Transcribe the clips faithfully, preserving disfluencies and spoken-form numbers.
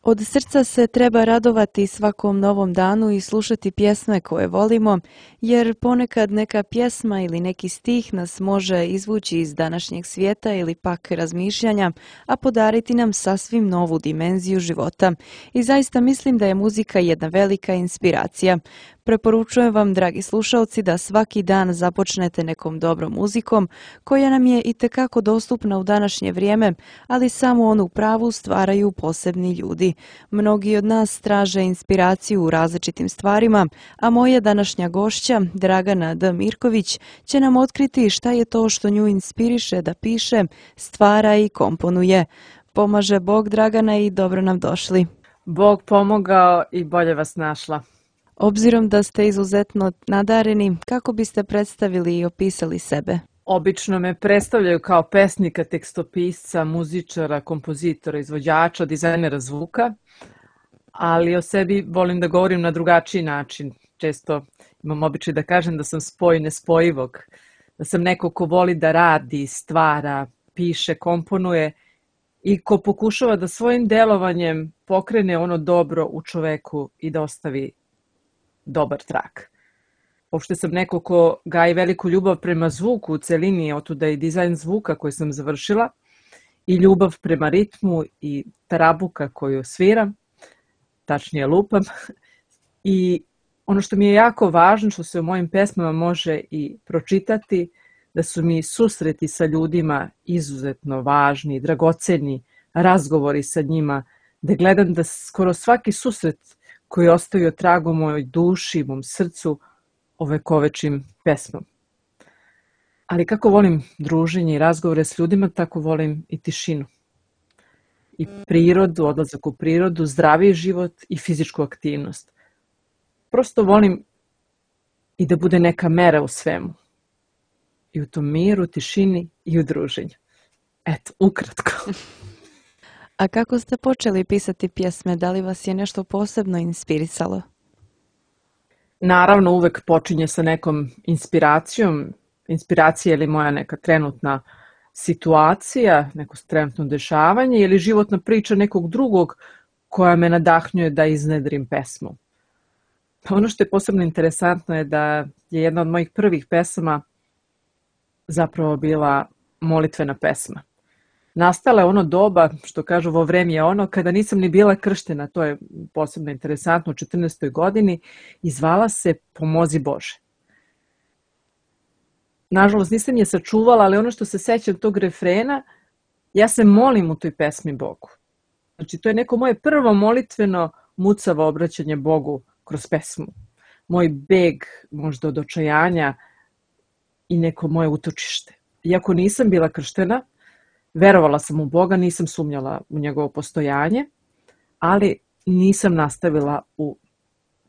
Od srca se treba radovati svakom novom danu i slušati pjesme koje volimo, jer ponekad neka pjesma ili neki stih nas može izvući iz današnjeg svijeta ili pak razmišljanja, a podariti nam sasvim novu dimenziju života. I zaista mislim da je muzika jedna velika inspiracija. Preporučujem vam, dragi slušalci, da svaki dan započnete nekom dobrom muzikom, koja nam je itekako dostupna u današnje vrijeme, ali samo onu pravu stvaraju posebni ljudi. Mnogi od nas traže inspiraciju u različitim stvarima, a moja današnja gošća, Dragana D. Mirković, će nam otkriti šta je to što nju inspiriše da piše, stvara i komponuje. Pomaže Bog, Dragana, i dobro nam došli. Bog pomogao i bolje vas našla. Obzirom da ste izuzetno nadareni, kako biste predstavili i opisali sebe? Obično me predstavljaju kao pesnika, tekstopisca, muzičara, kompozitora, izvođača, dizajnera zvuka, ali o sebi volim da govorim na drugačiji način. Često imam običaj da kažem da sam spoj nespojivog, da sam neko ko voli da radi, stvara, piše, komponuje i ko pokušava da svojim delovanjem pokrene ono dobro u čoveku i da ostavi dobar trak. Uopšte sam neko ko gaji veliku ljubav prema zvuku u celini, otuda i dizajn zvuka koji sam završila, i ljubav prema ritmu i trabuka koju sviram, tačnije lupam. I ono što mi je jako važno, što se u mojim pesmama može i pročitati, da su mi susreti sa ljudima izuzetno važni, dragoceni, razgovori sa njima, da gledam da skoro svaki susret koji ostaju trag u mojoj duši, mom srcu, ovekovečim pesmom. Ali kako volim druženje i razgovore s ljudima, tako volim i tišinu. I prirodu, odlazak u prirodu, zdraviji život i fizičku aktivnost. Prosto volim i da bude neka mera u svemu. I u tom miru, tišini i u druženju. Eto, ukratko. A kako ste počeli pisati pjesme? Da li vas je nešto posebno inspirisalo? Naravno, uvek počinje sa nekom inspiracijom. Inspiracija ili moja neka trenutna situacija, neko trenutno dešavanje ili životna priča nekog drugog koja me nadahnjuje da iznedrim pesmu. Ono što je posebno interesantno je da je jedna od mojih prvih pesama zapravo bila molitvena pesma. Nastala je ono doba, što kažu vo vreme je ono, kada nisam ni bila krštena, to je posebno interesantno, u četrnaestoj godini, i zvala se Pomozi Bože. Nažalost, nisam je sačuvala, ali ono što se sećam tog refrena, ja se molim u toj pesmi Bogu. Znači, to je neko moje prvo molitveno mucavo obraćanje Bogu kroz pesmu. Moj beg možda od očajanja i neko moje utočište. Iako nisam bila krštena, verovala sam u Boga, nisam sumnjala u njegovo postojanje, ali nisam nastavila u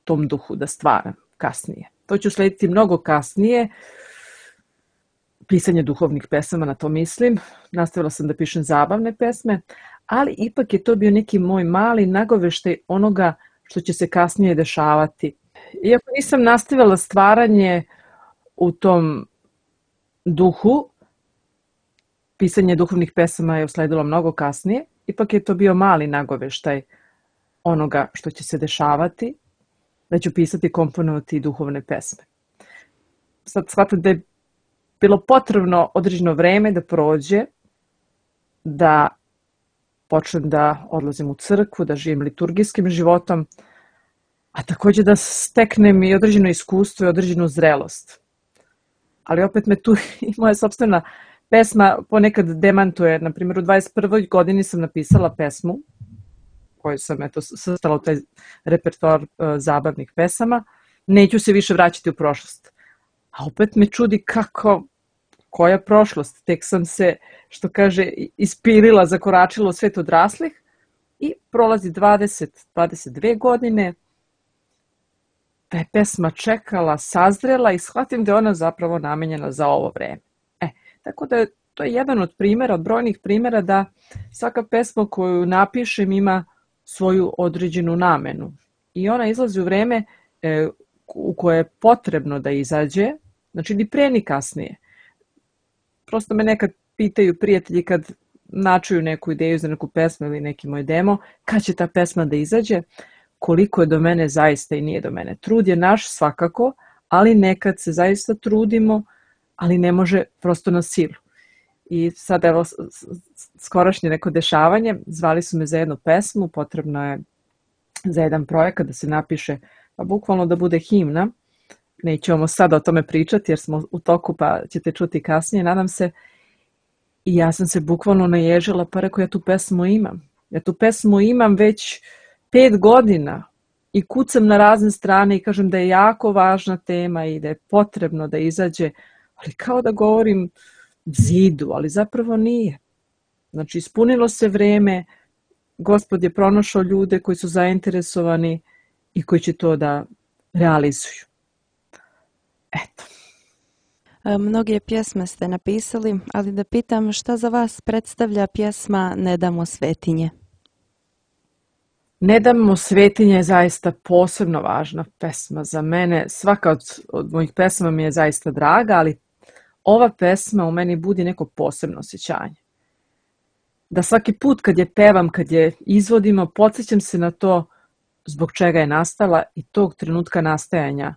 tom duhu da stvaram kasnije. To ću slediti mnogo kasnije, pisanje duhovnih pesama, na to mislim. Nastavila sam da pišem zabavne pesme, ali ipak je to bio neki moj mali nagoveštaj onoga što će se kasnije dešavati. Iako nisam nastavila stvaranje u tom duhu, pisanje duhovnih pesama je usledilo mnogo kasnije, ipak je to bio mali nagoveštaj onoga što će se dešavati, da ću pisati, komponovati duhovne pesme. Sad shvatam da je bilo potrebno određeno vreme da prođe, da počnem da odlazim u crkvu, da živim liturgijskim životom, a takođe da steknem i određeno iskustvo i određenu zrelost. Ali opet me tu i moja sopstvena pesma ponekad demantuje. Na primjer, u dvadeset prvoj godini sam napisala pesmu koju sam eto svrstala u taj repertoar uh, zabavnih pesama. Neću se više vraćati u prošlost. A opet me čudi kako, koja prošlost. Tek sam se, što kaže, ispirila, zakoračila u svet odraslih i prolazi dvadeset, dvadeset dve godine, da je pesma čekala, sazrela i shvatim da je ona zapravo namenjena za ovo vreme. E, tako da je, to je jedan od primjera, od brojnih primjera da svaka pesma koju napišem ima svoju određenu namenu. I ona izlazi u vreme e, u koje je potrebno da izađe, znači ni pre ni kasnije. Prosto me nekad pitaju prijatelji kad načuju neku ideju za neku pesmu ili neki moj demo, kad će ta pesma da izađe, koliko je do mene zaista i nije do mene. Trud je naš svakako, ali nekad se zaista trudimo, ali ne može prosto na silu. I sad evo skorašnje neko dešavanje, zvali su me za jednu pesmu, potrebno je za jedan projekat da se napiše, pa bukvalno da bude himna. Nećemo sada o tome pričati jer smo u toku pa ćete čuti kasnije, nadam se. I ja sam se bukvalno naježila pa rekao ja tu pesmu imam. Ja tu pesmu imam već pet godina i kucam na razne strane i kažem da je jako važna tema i da je potrebno da izađe, ali kao da govorim zidu, ali zapravo nije. Znači ispunilo se vreme, Gospod je pronašao ljude koji su zainteresovani i koji će to da realizuju. Eto. Mnoge pjesme ste napisali, ali da pitam šta za vas predstavlja pjesma Ne damo svetinje? Ne damo svetinje je zaista posebno važna pesma za mene. Svaka od, od mojih pesama mi je zaista draga, ali ova pesma u meni budi neko posebno osjećanje. Da svaki put kad je pevam, kad je izvodimo, podsjećam se na to zbog čega je nastala i tog trenutka nastajanja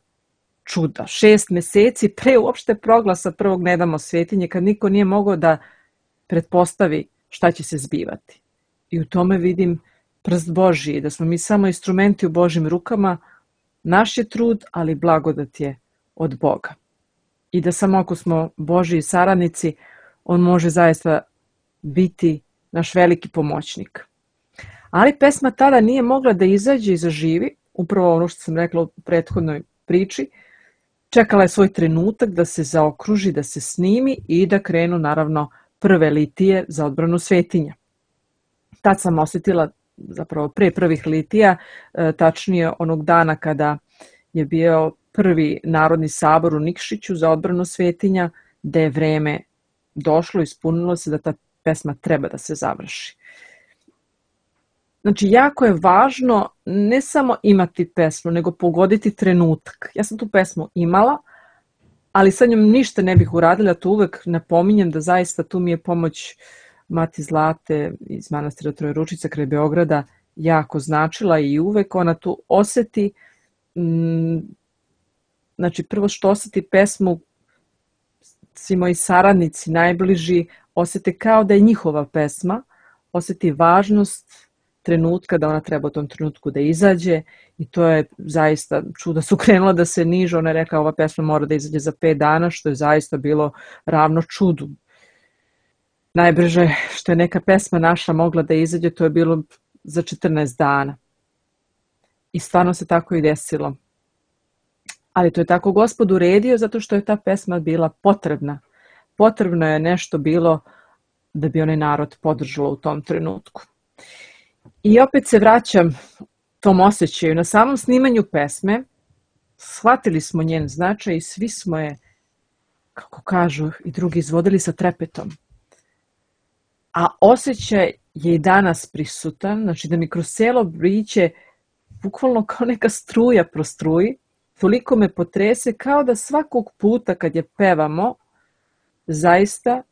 čuda. Šest meseci pre uopšte proglasa prvog Ne damo svetinje, kad niko nije mogao da pretpostavi šta će se zbivati. I u tome vidim prst Božji, da smo mi samo instrumenti u Božjim rukama, naš je trud, ali blagodat je od Boga. I da samo ako smo Božji saradnici, on može zaista biti naš veliki pomoćnik. Ali pesma tada nije mogla da izađe i zaživi, upravo ono što sam rekla u prethodnoj priči, čekala je svoj trenutak da se zaokruži, da se snimi i da krenu naravno prve litije za odbranu svetinja. Tad sam osjetila, zapravo pre prvih litija, tačnije onog dana kada je bio prvi narodni sabor u Nikšiću za odbranu svetinja, da je vreme došlo, ispunilo se da ta pesma treba da se završi. Znači, jako je važno ne samo imati pesmu, nego pogoditi trenutak. Ja sam tu pesmu imala, ali sa njom ništa ne bih uradila, to uvek napominjem da zaista tu mi je pomoć Mati Zlate iz manastira Trojeručica kraj Beograda jako značila i uvek ona tu oseti, znači prvo što oseti pesmu, svi moji saradnici, najbliži, osete kao da je njihova pesma, oseti važnost trenutka, da ona treba u tom trenutku da izađe i to je zaista čuda su krenula da se niže, ona je rekla ova pesma mora da izađe za pet dana, što je zaista bilo ravno čudu. Najbrže što je neka pesma naša mogla da izađe, to je bilo za četrnaest dana. I stvarno se tako i desilo. Ali to je tako Gospod uredio zato što je ta pesma bila potrebna. Potrebno je nešto bilo da bi onaj narod podržalo u tom trenutku. I opet se vraćam tom osjećaju. Na samom snimanju pesme shvatili smo njen značaj i svi smo je, kako kažu i drugi, izvodili sa trepetom. A osjećaj je i danas prisutan, znači da mi kroz cijelo biće bukvalno kao neka struja prostruji, toliko me potrese kao da svakog puta kad je pevamo, zaista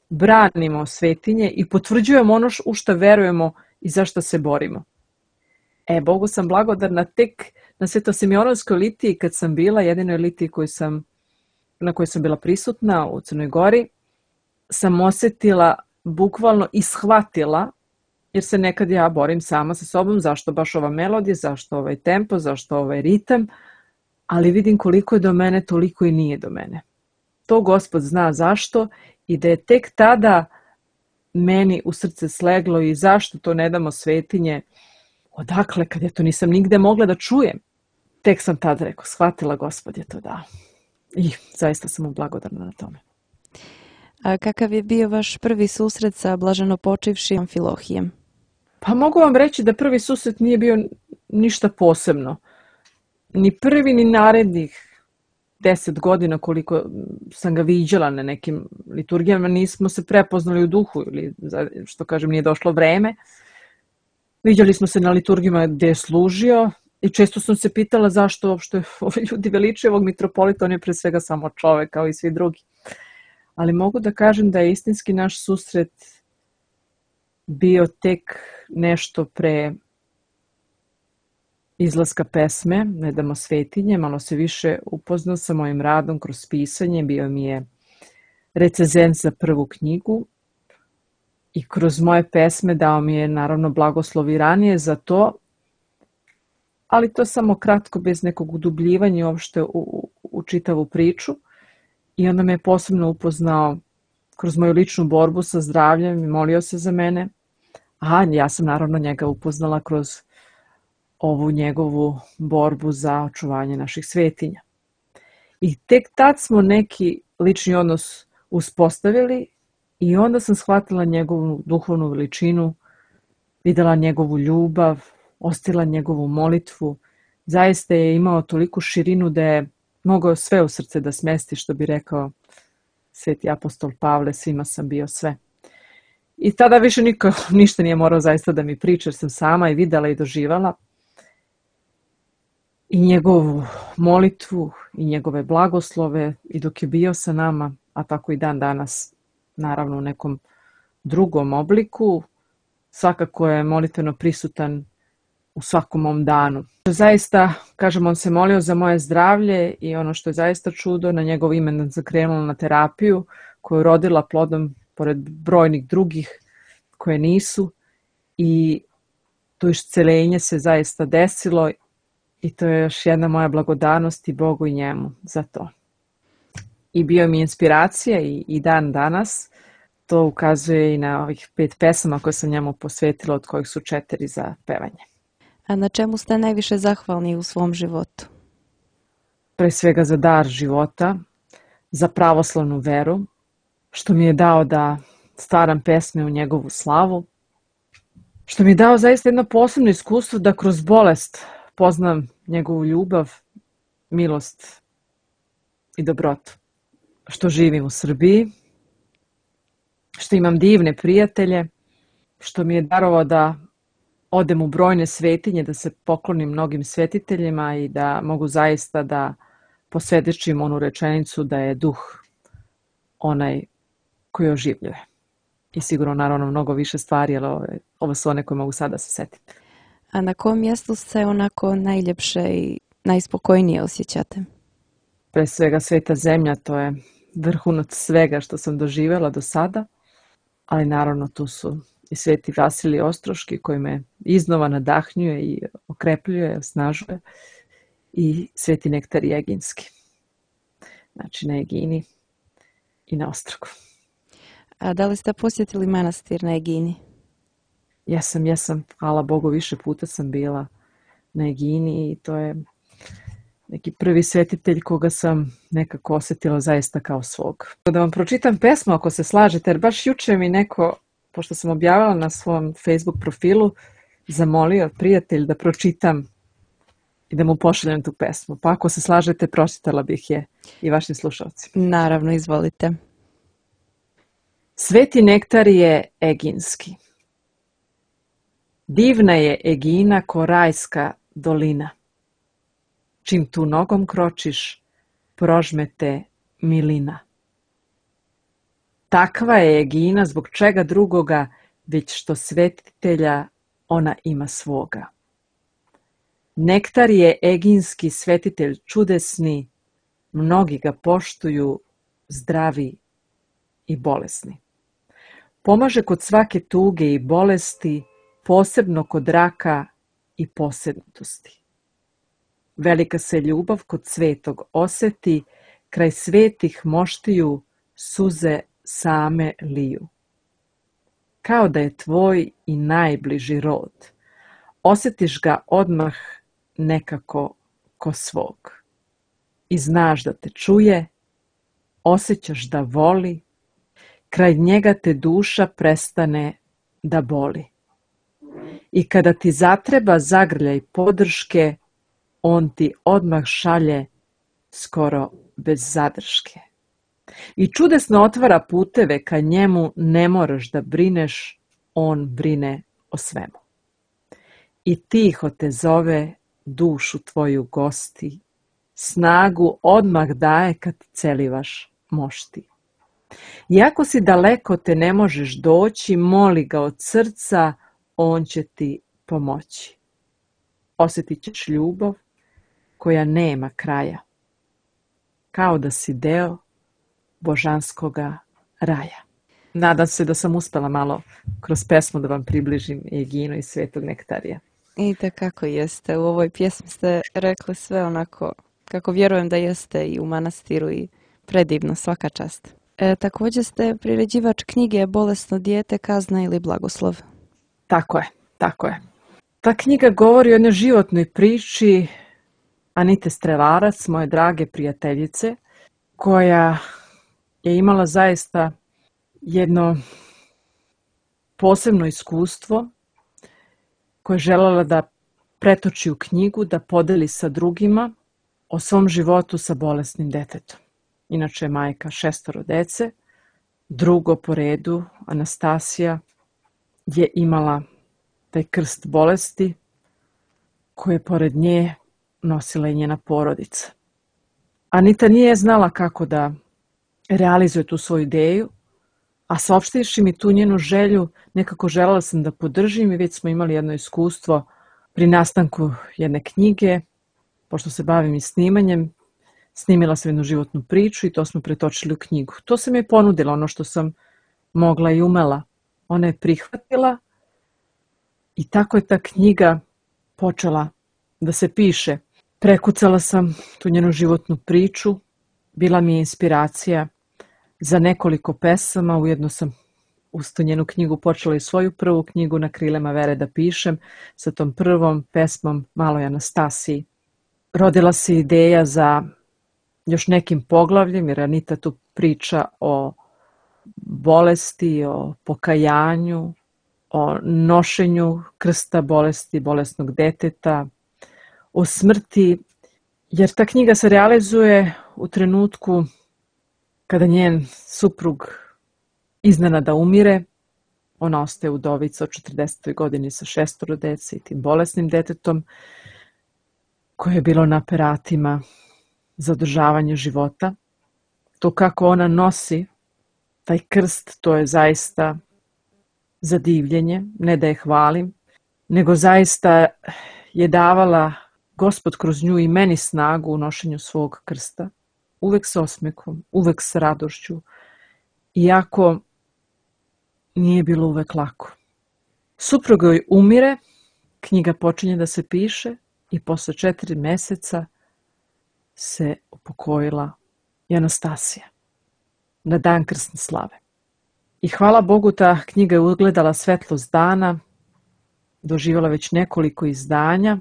branimo svetinje i potvrđujemo ono u što verujemo i za što se borimo. E, Bogu sam blagodarna tek na Svetosimeonovskoj litiji kad sam bila, jedinoj litiji koju sam, na kojoj sam bila prisutna u Crnoj Gori, sam osjetila bukvalno i shvatila, jer se nekad ja borim sama sa sobom, zašto baš ova melodija, zašto ovaj tempo, zašto ovaj ritam, ali vidim koliko je do mene, toliko i nije do mene. To Gospod zna zašto i da je tek tada meni u srce sleglo i zašto to ne damo svetinje, odakle, kad ja to nisam nigde mogla da čujem. Tek sam tada rekao, shvatila Gospod je to dao. I zaista sam mu blagodarna na tome. A kakav je bio vaš prvi susret sa blaženopočivšim Amfilohijem? Pa mogu vam reći da prvi susret nije bio ništa posebno. Ni prvi, ni narednih deset godina koliko sam ga viđala na nekim liturgijama, nismo se prepoznali u duhu ili, što kažem, nije došlo vreme. Viđali smo se na liturgijama gde je služio i često sam se pitala zašto uopšte ovi ljudi veličaju ovog mitropolita, on je pre svega samo čovek kao i svi drugi. Ali mogu da kažem da je istinski naš susret bio tek nešto pre izlaska pesme Ne damo svetinje, malo se više upoznao sa mojim radom kroz pisanje, bio mi je recenzent za prvu knjigu i kroz moje pesme dao mi je naravno blagoslov i ranije za to, ali to samo kratko, bez nekog udubljivanja uopšte u, u, u čitavu priču. I onda me je posebno upoznao kroz moju ličnu borbu sa zdravljem i molio se za mene. A ja sam naravno njega upoznala kroz ovu njegovu borbu za očuvanje naših svetinja. I tek tad smo neki lični odnos uspostavili i onda sam shvatila njegovu duhovnu veličinu, videla njegovu ljubav, ostila njegovu molitvu. Zaista je imao toliku širinu da je mogao sve u srce da smesti, što bi rekao sveti apostol Pavle, svima sam bio sve. I tada više niko ništa nije morao zaista da mi priča, jer sam sama i videla i doživala. I njegovu molitvu i njegove blagoslove i dok je bio sa nama, a tako i dan danas, naravno u nekom drugom obliku, svakako je molitveno prisutan u svakom mom danu. Zaista, kažem, on se molio za moje zdravlje i ono što je zaista čudo, na njegov ime sam krenula na terapiju koju je rodila plodom pored brojnih drugih koje nisu i to isceljenje se zaista desilo i to je još jedna moja blagodarnost i Bogu i njemu za to. I bio mi inspiracija i, i dan danas. To ukazuje i na ovih pet pesama koje sam njemu posvetila, od kojih su četiri za pevanje. A na čemu ste najviše zahvalni u svom životu? Pre svega za dar života, za pravoslavnu veru, što mi je dao da stvaram pesme u njegovu slavu, što mi je dao zaista jedno posebno iskustvo da kroz bolest poznam njegovu ljubav, milost i dobrotu. Što živim u Srbiji, što imam divne prijatelje, što mi je darovao da odem u brojne svetinje, da se poklonim mnogim svetiteljima i da mogu zaista da posvjedočim onu rečenicu da je duh onaj koji oživljuje. I sigurno naravno mnogo više stvari, ali ovo, ovo su one koje mogu sada se setiti. A na kom mjestu se onako najljepše i najspokojnije osjećate? Pre svega Sveta zemlja, to je vrhunac svega što sam doživjela do sada, ali naravno tu su i Sveti Vasilij Ostroški koji me iznova nadahnjuje i okrepljuje, osnažuje, i Sveti Nektarije Eginski. Znači na Egini i na Ostrogu. A da li ste posjetili manastir na Egini? Jesam, jesam, hvala Bogu, više puta sam bila na Egini i to je neki prvi svetitelj koga sam nekako osjetila zaista kao svog. Da vam pročitam pesmu ako se slažete, jer baš juče mi neko, pošto sam objavila na svom Facebook profilu, zamolio prijatelj da pročitam i da mu pošaljem tu pesmu. Pa ako se slažete, pročitala bih je i vašim slušalcima. Naravno, izvolite. Sveti Nektarije Eginski. Divna je Egina ko rajska dolina. Čim tu nogom kročiš, prožme te milina. Takva je Egina zbog čega drugoga, već što svetitelja ona ima svoga. Nektar je Eginski svetitelj čudesni, mnogi ga poštuju, zdravi i bolesni. Pomaže kod svake tuge i bolesti, posebno kod raka i posednutosti. Velika se ljubav kod svetog oseti, kraj svetih moštiju suze same liju. Kao da je tvoj i najbliži rod, osjetiš ga odmah nekako ko svog. I znaš da te čuje, osjećaš da voli, kraj njega te duša prestane da boli. I kada ti zatreba zagrljaj podrške, on ti odmah šalje skoro bez zadrške. I čudesno otvara puteve, ka njemu ne moraš da brineš, on brine o svemu. I tiho te zove, dušu tvoju gosti, snagu odmah daje kad celivaš mošti. Iako si daleko te ne možeš doći, moli ga od srca, on će ti pomoći. Osjetit ćeš ljubav koja nema kraja, kao da si deo božanskoga raja. Nadam se da sam uspela malo kroz pesmu da vam približim Eginu i Svetog Nektarija. I kako jeste. U ovoj pjesmi ste rekli sve onako kako vjerujem da jeste i u manastiru i predivno, svaka čast. E, također ste priređivač knjige Bolesno dijete, kazna ili blagoslov. Tako je, tako je. Ta knjiga govori o jednoj životnoj priči Anite Strelarac, moje drage prijateljice, koja je imala zaista jedno posebno iskustvo koje je željela da pretoči u knjigu, da podeli sa drugima o svom životu sa bolesnim detetom. Inače je majka šestoro dece. Drugo po redu, Anastasija, je imala taj krst bolesti koje je pored nje nosila i njena porodica. Anita nije znala kako da realizuje tu svoju ideju, a saopštivši mi tu njenu želju, nekako želela sam da podržim i već smo imali jedno iskustvo pri nastanku jedne knjige, pošto se bavim i snimanjem, snimila sam jednu životnu priču i to smo pretočili u knjigu. To sam joj ponudila, ono što sam mogla i umela. Ona je prihvatila i tako je ta knjiga počela da se piše. Prekucala sam tu njenu životnu priču, bila mi je inspiracija za nekoliko pesama, ujedno sam uz tu njenu knjigu počela i svoju prvu knjigu Na krilima vere da pišem, sa tom prvom pesmom Maloj Anastasiji. Rodila se ideja za još nekim poglavljem, jer Anita tu priča o bolesti, o pokajanju, o nošenju krsta bolesti, bolesnog deteta, o smrti, jer ta knjiga se realizuje u trenutku kada njen suprug iznenada umire. Ona ostaje udovica od četrdesetoj godini sa šestoro dece i tim bolesnim detetom koje je bilo na aparatima za održavanje života. To kako ona nosi taj krst, to je zaista za divljenje, ne da je hvalim, nego zaista je davala Gospod kroz nju i meni snagu u nošenju svog krsta. Uvek s osmekom, uvek s radošću, iako nije bilo uvek lako. Suprug joj umire, knjiga počinje da se piše i posle četiri meseca se upokojila i Anastasija na dan krsne slave. I hvala Bogu, ta knjiga je ugledala svetlost dana, doživjela već nekoliko izdanja,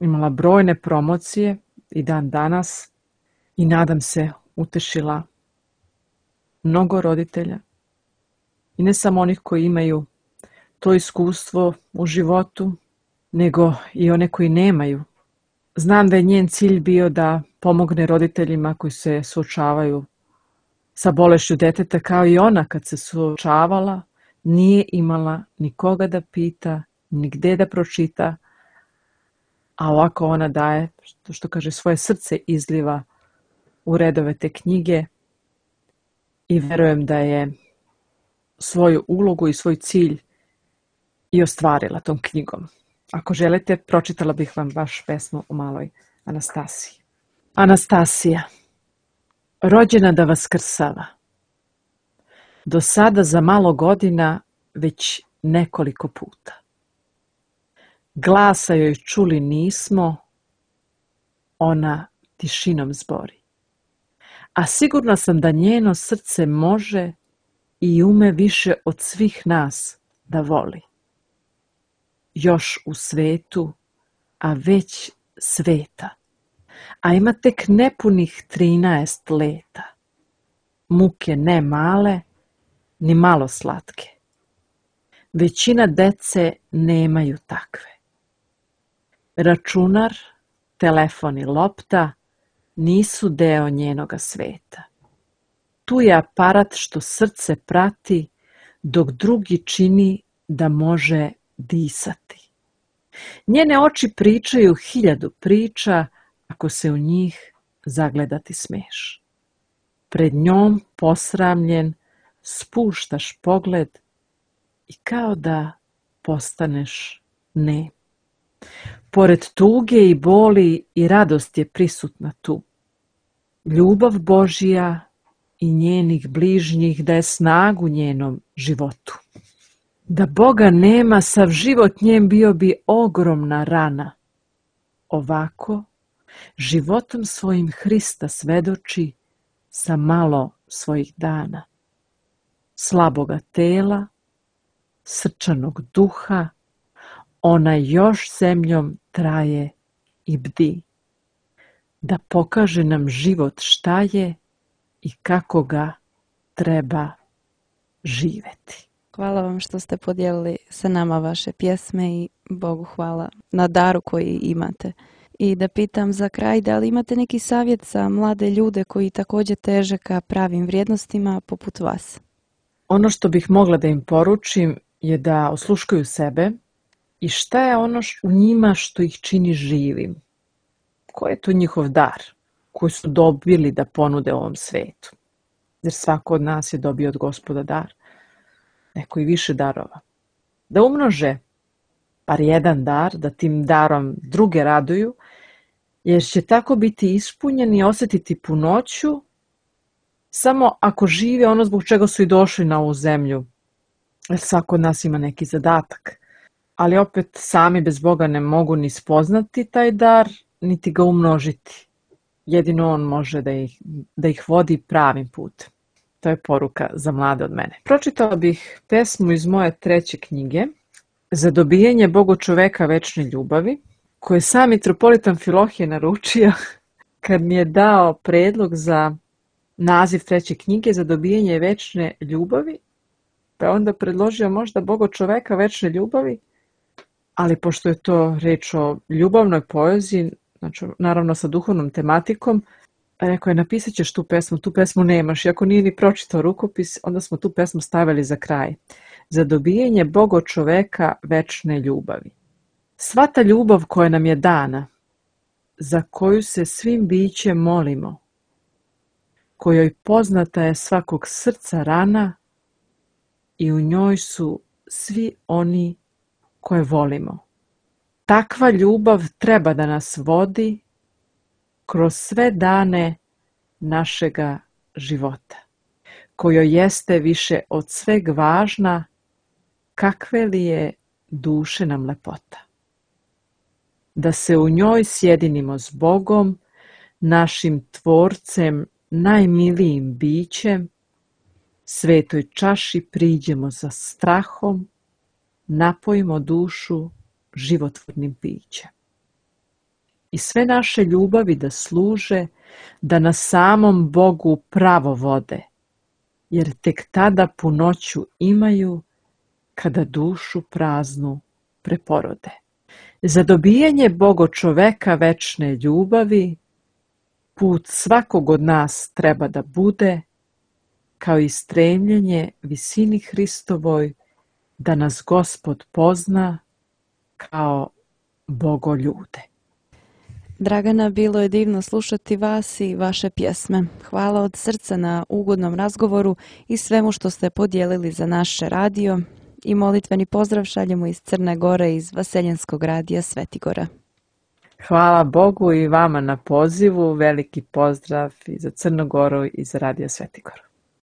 imala brojne promocije i dan danas i nadam se utešila mnogo roditelja i ne samo onih koji imaju to iskustvo u životu, nego i one koji nemaju. Znam da je njen cilj bio da pomogne roditeljima koji se suočavaju sa bolešću deteta, kao i ona kad se suočavala, nije imala nikoga da pita, ni gde da pročita, a ovako ona daje, što, što kaže, svoje srce izliva u redove te knjige i verujem da je svoju ulogu i svoj cilj i ostvarila tom knjigom. Ako želite, pročitala bih vam baš pesmu o maloj Anastasiji. Anastasija, rođena da vaskrsava. Do sada za malo godina već nekoliko puta. Glasa joj čuli nismo, ona tišinom zbori. A sigurna sam da njeno srce može i ume više od svih nas da voli. Još u svetu, a već sveta, a ima tek nepunih trinaest leta. Muke ne male, ni malo slatke. Većina dece nemaju takve. Računar, telefon i lopta nisu deo njenoga sveta. Tu je aparat što srce prati, dok drugi čini da može disati. Njene oči pričaju hiljadu priča, ako se u njih zagledati smeš. pred njom posramljen spuštaš pogled i kao da postaneš nem. Pored tuge i boli i radost je prisutna tu. Ljubav Božja i njenih bližnjih daje snagu njenom životu. Da Boga nema, sav život njen bio bi ogromna rana. Ovako, životom svojim Hrista svedoči sa malo svojih dana. Slaboga tela, srčanog duha, ona još zemljom traje i bdi. Da pokaže nam život šta je i kako ga treba živeti. Hvala vam što ste podijelili sa nama vaše pjesme i Bogu hvala na daru koji imate. I da pitam za kraj, da li imate neki savjet za mlade ljude koji također teže ka pravim vrijednostima poput vas? Ono što bih mogla da im poručim je da osluškuju sebe i šta je ono u njima što ih čini živim. Koji je to njihov dar koji su dobili da ponude ovom svetu? Jer svako od nas je dobio od Gospoda dar. Neko i više darova. Da umnože bar jedan dar, da tim darom druge raduju, jer će tako biti ispunjeni i osjetiti punoću samo ako žive ono zbog čega su i došli na ovu zemlju. Jer svako od nas ima neki zadatak. Ali opet sami bez Boga ne mogu ni spoznati taj dar, niti ga umnožiti. Jedino on može da ih, da ih vodi pravim putem. To je poruka za mlade od mene. Pročitala bih pesmu iz moje treće knjige Za dobijanje Bogo čoveka večne ljubavi, koju je sam mitropolitan Filohije naručio kad mi je dao predlog za naziv treće knjige Za dobijanje večne ljubavi, pa je onda predložio možda Bogo čoveka večne ljubavi, ali pošto je to reč o ljubavnoj poeziji, znači naravno sa duhovnom tematikom, rekao je napisat ćeš tu pesmu, tu pesmu nemaš. I ako nije ni pročitao rukopis, onda smo tu pesmu stavili za kraj. Za dobijanje Bogo čoveka večne ljubavi. Sva ta ljubav koja nam je dana, za koju se svim bićem molimo, kojoj poznata je svakog srca rana i u njoj su svi oni koje volimo. Takva ljubav treba da nas vodi kroz sve dane našega života, kojoj jeste više od sveg važna, kakve li je duše nam lepota. Da se u njoj sjedinimo s Bogom, našim tvorcem, najmilijim bićem, svetoj čaši priđemo za strahom, napojimo dušu životvornim pićem. I sve naše ljubavi da služe, da na samom Bogu pravo vode, jer tek tada punoću imaju, kada dušu praznu preporode. Za dobijanje Bogo čoveka večne ljubavi, put svakog od nas treba da bude, kao i stremljenje visini Hristovoj, da nas Gospod pozna kao Bogo ljude. Dragana, bilo je divno slušati vas i vaše pjesme. Hvala od srca na ugodnom razgovoru i svemu što ste podijelili za naše radio. I molitveni pozdrav šaljemo iz Crne Gore, iz Vaseljenskog radija Svetigora. Hvala Bogu i vama na pozivu. Veliki pozdrav i za Crnu Goru i za Radio Svetigor.